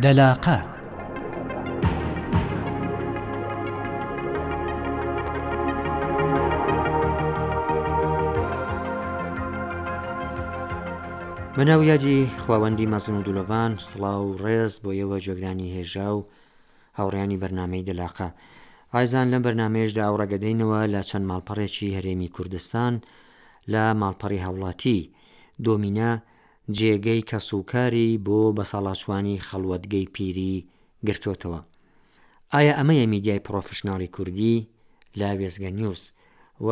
دەلاقە. بەناو یادی خواوەندی مەزن و دولۆڤان سڵاو و ڕێز بۆ ئێوە گوێگرانی هێژا و هاوڕێیانی بەرنامەی دەلاقە. ئایزان لەم بەرنامەیەشدا ئەو ڕێگەدەینەوە لە چەند ماڵپەڕێکی هەرێمی کوردستان لە ماڵپەڕی هاوڵاتی، دۆمینە، جێگەی کەسوکاری بۆ بەساڵاچوانی خەڵوەتگەی پیری گرتۆتەوە. ئایا ئەمەیە میدیای پڕۆفشناڵی کوردی؟ لە وێستگە نیوز و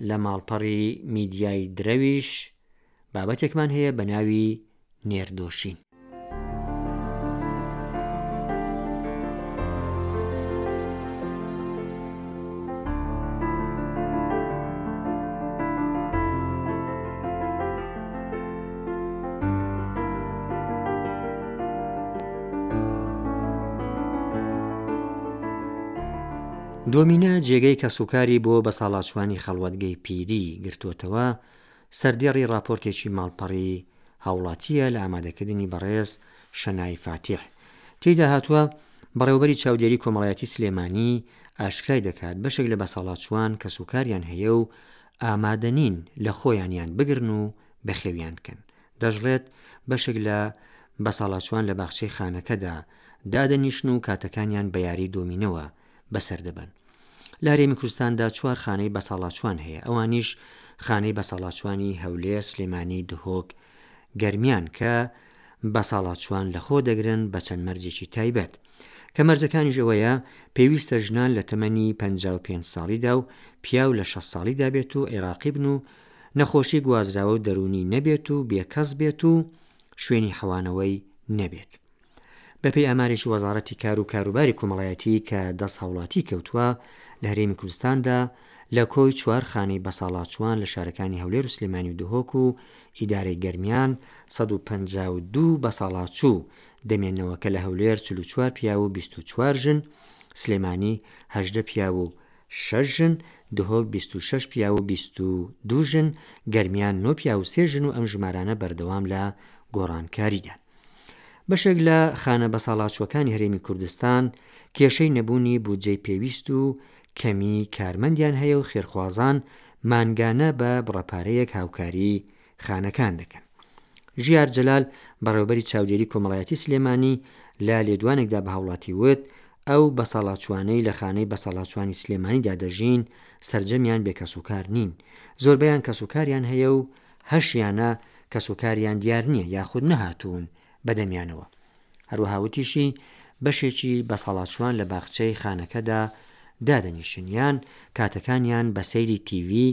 لە ماڵپەڕی میدیای درەویش بابەتێکمان هەیە بە ناوی نێردۆشین. دۆمینە جێگەی کەسوکاری بۆ بەساڵاچوانی خەڵوەتگەی پیری گرتۆتەوە، سەردێڕی ڕاپۆرتێکی ماڵپەڕی هاوڵاتییە لە ئامادەکردنی بەڕێز شەنای فاتیح. تێیدا هاتووە، بەڕێوەبەری چاودێری کۆمەڵایەتی سلێمانی ئاشکرای دەکات، بەشێک لە بەساڵاچووان کەسوکاریان هەیە و ئامادەنین لە خۆیانیان بگرن و بەخێویان بکەن. دەشڵێت، بەشێک لە بەساڵاچووان لە باخچەی خانەکەدا دادەنیشن و کاتەکانیان بە یاری دۆمینەوە بەسەر دەبەن. لە هەرێمی کوردستاندا چوار خانەی بەساڵاچووان هەیە، ئەوانیش خانەی بەساڵاچووانی هەولێر، سلێمانی، دهۆک، گەرمیان کە بەساڵاچووان لەخۆ دەگرن بە چەند مەرجێکی تایبەت. کە مەرجەکانیش ئەوەیە پێویستە ژنان لە تەمەنی 55 ساڵیدا و پیاو لە 60 ساڵیدا بێت و عێراقی بن و نەخۆشی گوازراوە و دەروونی نەبێت و بێکەس بێت و شوێنی حەوانەوەی نەبێت. بەپێی ئامارێکی وەزاڕەتی کار و کاروباری کۆمەڵایەتی کە دەست هاوڵاتی کەوتووە، لە هەرێمی کوردستاندا لە کۆی چوار خانەی بەساڵاچووان لە شارەکانی هەولێر و سلێمانی و دهۆک و ئیدارەی گەرمیان 152 بەساڵاچوو دەمێنەوە کە لە هەولێر 44 پیاو و 24 ژن، سلێمانی 18 پیاو و شەش ژن، دهۆک 26 پیاو و 22 ژن، گەرمیان 9 پیاو و سێ ژن و ئەم ژمارانە بەردەوام لە گۆڕانکاریدان. بەشێک لە خانە بەساڵاچووەکانی هەرێمی کوردستان کێشەی نەبوونی بودجەی پێویست و کەمیی کارمەندیان هەیە و خێرخوازان مانگانە بە بڕە پارەیەک هاوکاری خانەکان دەکەن. ژیار جەلال، بەڕێوەبەری چاودێری کۆمەڵایەتی سلێمانی لە لێدوانێکدا بە هاوڵاتی وت، ئەو بەساڵاچووانەی لە خانەی بەساڵاچووانی سلێمانیدا دەژین سەرجەمیان بێ کەسوکار نین، زۆربەیان کەسوکاریان هەیە و هەشیانە کەسوکاریان دیار نییە یاخود نەهاتوون بەدەمیانەوە. هەروەها وتیشی، بەشێکی بەساڵاچووان لە باخچەی خانەکەدا دادەنیشن یان کاتەکانیان بە سەیری تیڤی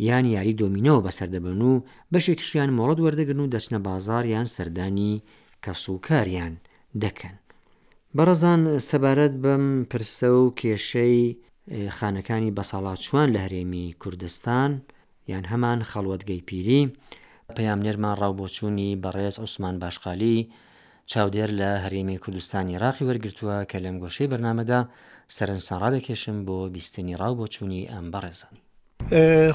یان یاری دۆمینۆوە بەسەر دەبەن و بەشێکیشیان مۆڵەت وەردەگرن و دەچنە بازاڕ یان سەردانی کەسوکاریان دەکەن. بەڕێزان سەبارەت بەم پرسە و کێشەی خانەکانی بەساڵاچووان لە هەرێمی کوردستان، یان هەمان خەڵوەتگەی پیری. پەیامنێرمان ڕاوبۆچوونی بەڕێز عوسمان باشقالی، چاودێر لە هەرێمی کوردستانی عێراقی وەرگرتووە کە لەم گۆشەی بەرنامەدا سەرنجتان ڕادەکێشم بۆ بیستنی ڕاوبۆچوونی ئەم بەڕێزە.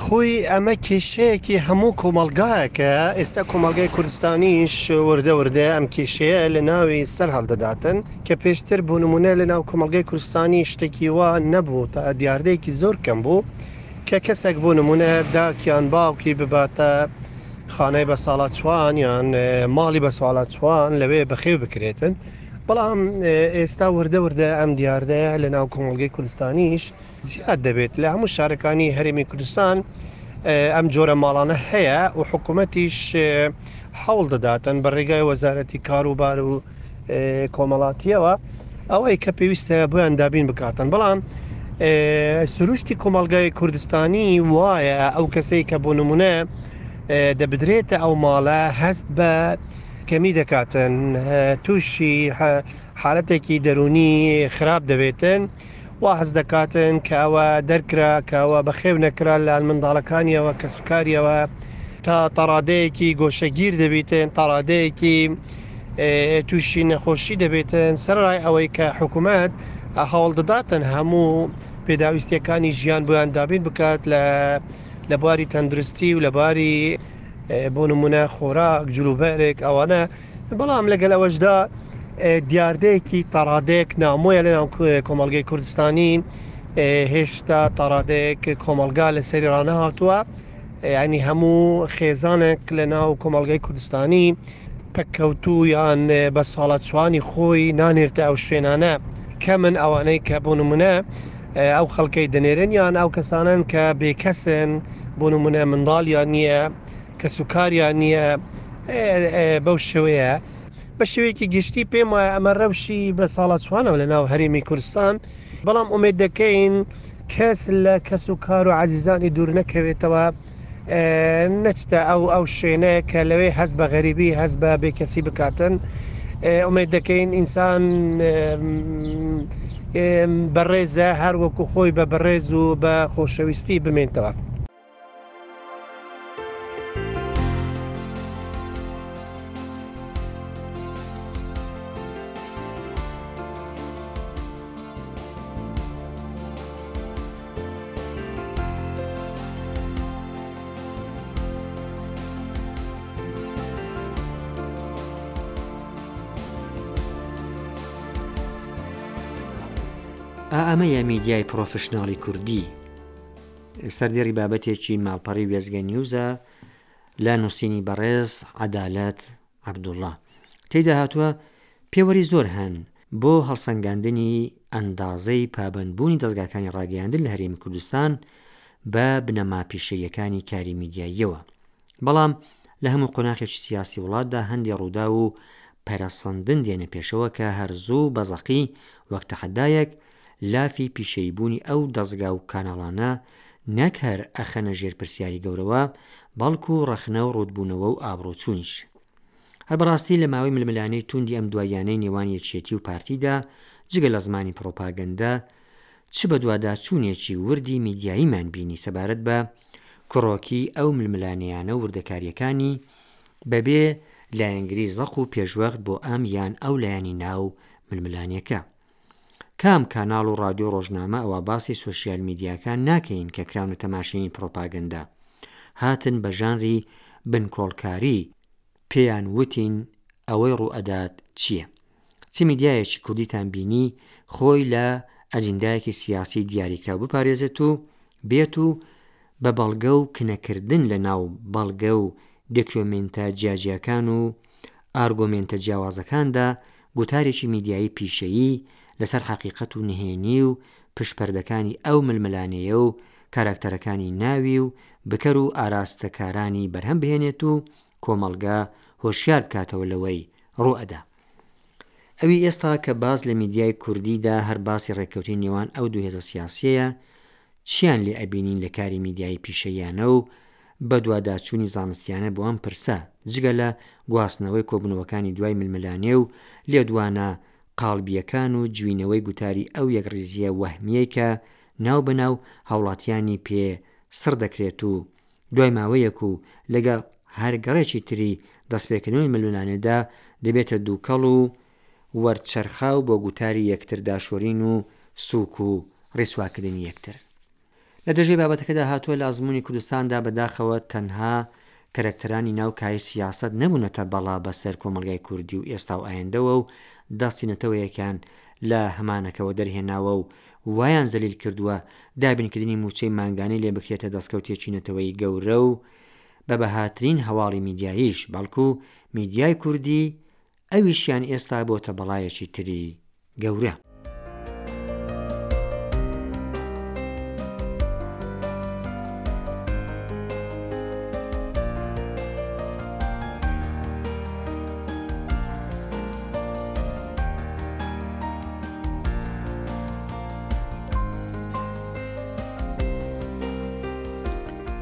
خۆی ئەمە کێشەیەکی هەموو کۆمەڵگایەکە، ئێستا کۆمەڵگای کوردستانیش وردە وردە ئەم کێشەیە لە ناوی سەر هەڵدەداتن کە پێشتر بۆ نمونە لە ناو کۆمەڵگای کوردستانی شتێکی وا نەبوو تا دیاردەیەکی زۆر کەم بوو کە کەسێک بۆ نمونە داک یان باوکی بباتە خانەی بەساڵاچوان یان ماڵی بەساڵاچوان لەوێ بەخێو بکرێتن بەڵام ئێستا وردە وردە ئەم دیاردەیە لە ناو کۆمەڵگەی کوردستانیش زیاد دەبێت لە هەموو شارەکانی هەرێمی کوردستان ئەم جۆرە ماڵانە هەیە و حکوومەتیش هەوڵ دەداتن بە ڕێگای وەزارەتی کاروبار و کۆمەڵاتیەوە ئەوەی کە پێویستە بۆیان دابین بکاتن بەڵام سروشتی کۆمەڵگای کوردستانی وایە ئەو کەسەی کە بۆ نمونە دەبدرێتە ئەو ماڵە هەست بە کەمی دەکاتن تووشی حالەتێکی دەرونی خراپ دەبێتن وا هەست دەکاتن کە ئەوە دەرکرا کە ئەوە بەخێو نەکرا لەلایەن منداڵەکانیەوە کەسوکاریەوە تا تاڕادەیەکی گۆشەگیر دەبیتن تاڕادەیەکی تووشی نەخۆشی دەبێتن سەرڕای ئەوەی کە حکوومەت هەوڵ دەداتن هەموو پێداویستیەکانی ژیان بۆیان دابین بکات لە لە بواری تەندروستی و لە باری بۆ نمونە خۆراک جلوبەرێک ئەوانە بەڵام لەگەل ئەوەشدا. دیاردەیەکی تاڕادەیەک نامۆیە لە ناو کۆمەڵگەی کوردستانی هێشتا تاڕادەیەک کۆمەڵگا لەسەری ڕانەهاتووە ینی هەموو خێزانێک لە ناو کۆمەڵگەی کوردستانی پەککەوتوو یان بە ساڵاچوانی خۆی نانێرتە ئەو شوێنانە کەمن ئەوانەی کە بۆ نمونە ئەو خەڵکەی دەنێرن یان ئەو کەسانن کە بێکەسن بۆ نمونە منداڵیان نییە کەسوکاریان نییە بەو شێوەیە بە شێوەیەکی گشتی پێم وایە ئەمە رەوشی بە ساڵاچوانەوە لە ناو هەرێمی کوردستان، بەڵام ئومێد دەکەین کەس لە کەس و کار و عەزیزانی دوور نەکەوێتەوە، نەچتە ئەو ئەو شوێنە کە لەوێ هەست بە غەریبی هەست بە بێکەسی بکاتن. ئومێد دەکەین ئینسان بەڕێزە هەر وەکو خۆی بە بەڕێز و بە خۆشەویستی بمێنتەوە. ئا ئەمەیە میدیای پڕۆفشناڵی کوردی. سەردێڕی بابەتێکی ماڵپەڕی وێستگە نیوزە لە نووسینی بەڕێز عەدالەت عەبدوڵڵا تێیدا هاتووە پێوەری زۆر هەن بۆ هەڵسەنگاندنی ئەندازەی پابەندبوونی دەزگاکانی ڕاگەیاندن لە هەرێمی کوردستان بە بنەما پیشەییەکانی کاری میدیاییەوە بەڵام لە هەموو قۆناخێکی سیاسی وڵاتدا هەندێ ڕووداو و پەرەسەندن دێنە پێشەوە کە هەر زوو بە زەقی وەک تەحەدایەک لافی پیشەییبوونی ئەو دەزگا و کاناڵانە نەک هەر ئەخەنە ژێر پرسیاری گەورەوە، بەڵکو ڕەخنە و ڕووتبوونەوە و ئابڕووچوونیش. هەر بەڕاستی لە ماوەی ململانێی تووندی ئەم دواییانەی نێوان یەکێتی و پارتیدا، جگە لە زمانی پڕۆپاگەندە، چ بەدواداچوونێکی وردی میدیاییمان بینی سەبارەت بە کڕۆکی ئەو ململانێیانە و وردەکارییەکانی، بەبێ لایەنگری زەق و پێشوەخت بۆ ئەم یان ئەو لایەنی ناو ململانێکە. کام کاناڵ و ڕادیۆ ڕۆژنامە ئەوا باسی سۆشیال میدیاکان ناکەین کە کراونەتە ماشێنی پڕۆپاگەندە هاتن بە ژانری بنکۆڵکاری پێیان وتین ئەوەی ڕووئەدات چیە؟ چ میدیایەکی کوردیتان بینی خۆی لە ئەجیندایەکی سیاسی دیاریکراو بپارێزێت و بێت و بە بەڵگە و کنەکردن لە ناو بەڵگە و دێکیۆمێنتە جیاجیاکان و ئارگۆمێنتە جیاوازەکاندا گوتارێکی میدیایی پیشەیی لەسەر حەقیقەت و نهێنی و پشتپەردەکانی ئەو ململانێیە و کاراکتەرەکانی ناوی و بکەر و ئاراستەکارانی بەرهەم بهێنێت و کۆمەڵگە هۆشیار بکاتەوە لەوەی ڕووئەدا. ئەوی ئێستا کە باس لە میدیای کوردیدا هەر باسی ڕێککەوتنی نێوان ئەو دوو هێزە سیاسیەیە، چیان لێ ئەبینین لە کاری میدیایی پیشەییانە و بەدواداچوونی زانستیانە بۆ ئەم پرسە، جگە لە گواستنەوەی کۆبوونەوەکانی دوای ململانێ و لێدوانە قاڵبییەکان و جوینەوەی گوتاری ئەو یەکڕیزییە وەهمییەی کە ناو بە ناو هاوڵاتیانی پێ سڕ دەکرێت و دوای ماوەیەک و لەگەڵ هەر گەڕێکی تری دەستپێکردنەوەی ململانێدا دەبێتە دووکەڵ و وەرچەرخاو بۆ گوتاری یەکتر داشۆرین و سووک و ڕیسواکردنی یەکتر. لە درێژەی بابەتەکەدا هاتووە لە ئەزموونی کوردستاندا بەداخەوە تەنها کەرەکتەرانی ناو کایەی سیاسەت نەبوونەتە بەڵا بەسەر کۆمەڵگای کوردی و ئێستا و ئایندەوە و دەستی نەتەوەیەکیان لە هەمانەکەوە دەرهێناوە و وایان زەلیل کردووە دابینکردنی مووچەی مانگانەی لێ بکرێتە دەستکەوتێکی نەتەوەیی گەورە و بە بەهاترین هەواڵی میدیاییش بەڵکو میدیای کوردی ئەویشیان ئێستا بۆتە بەڵایەکی تری گەورە.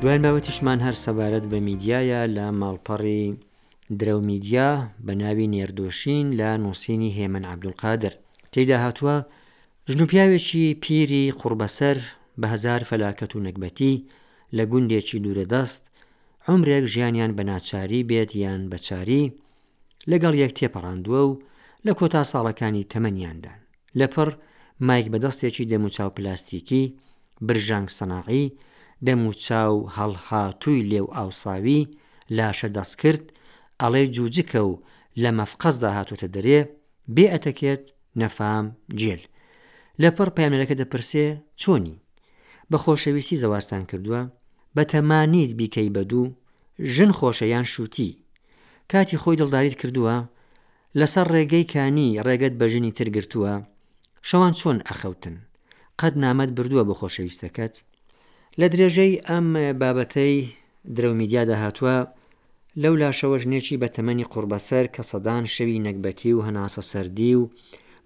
دوایین بابەتیشمان هەر سەبارەت بە میدیایە لە ماڵپەڕی درەو میدیا بە ناوی نێردۆشین لە نووسینی هێمن عەبدولقادر تێیدا هاتووە، ژن و پیاوێکی پیری قوڕبەسەر بە هەزار فەلاکەت و نەگبەتی لە گوندێکی دوورەدەست عومرێک ژیانیان بە ناچاری بێت یان بە چاری لەگەڵ یەک تێپەڕاندووە و لە کۆتا ساڵەکانی تەمەنیاندان. لەپڕ مایک بەدەستێکی دەموچاو پلاستیکی، برژانگ سەناعی، دەموچاو هەڵهاتووی لێو ئاوساوی، لاشە دەستکرد، ئەڵێی جوجکە و لە مەفقەزدا هاتۆتە دەرێ، بێ ئەتەکێت، نەفام، گێل. لەپڕ پەیامنێرەکە دەپرسێ، چۆنی؟ بە خۆشەویستی زەواجتان کردووە؟ بەتەما نیت بیکەی بە دوو؟ ژن خۆشە یان شووتی؟ کاتی خۆی دڵداریت کردووە؟ لەسەر ڕێگەی کانی ڕێگەت بە ژنی تر گرتووە؟ شەوان چۆن ئەخەوتن؟ قەت نامەت بردووە بۆ خۆشەویستەکەت؟ لە درێژەی ئەم بابەتەی درەو میدیادا هاتووە، لەو لاشەوە ژنێکی بە تەمەنی قوڕبەسەر کە سەدان شەوی نەگبەتی و هەناسەسەردی و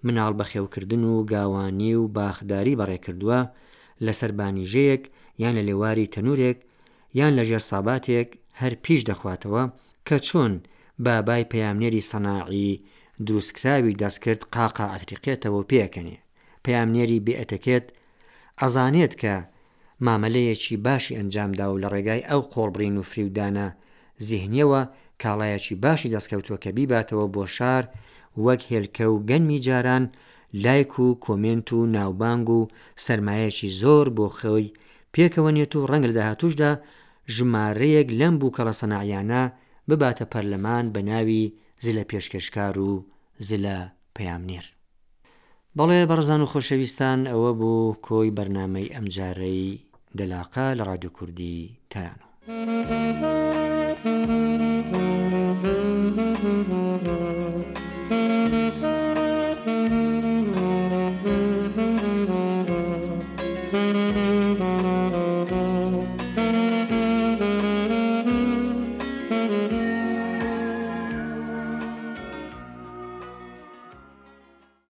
مناڵ بەخێوکردن و گاوانی و باخداری بەڕێکردووە، لەسەر بانیژەیەک یان لە لێواری تەنورێک یان لەژێر ساباتێک هەر پیش دەخواتەوە کە چۆن بابای پەیامنێری سەناعی دروستکراوی دەستکرد قاقا ئەتریقێتەوە و پێئەکەنێ. پەیامنێری بێ ئەتەکێت ئەزانێت کە مامەلەیەکی باشی ئەنجامدا و لە ڕێگای ئەو قۆڵبڕین و فریودانە زیهنیەوە کاڵایەکی باشی دەستکەوتوە کە بیباتەوە بۆ شار وەک هێلکە و گەنمی جاران لایک و کۆمێنت و ناوبانگ و سەرمایەکی زۆر بۆ خۆی پێکەوە نێت و ڕەنگە لە داهاتووشدا ژمارەیەک لەم بووکەڵە سەناعیانە بباتە پەرلەمان بە ناوی زلە پێشکێشکار و زلە پەیامنێر. بەڵێ بەڕێزان و خۆشەویستان ئەوە بوو کۆی بەرنامەی ئەمجارەی دەلاقە لە ڕادیۆ کوردی تارانەوە.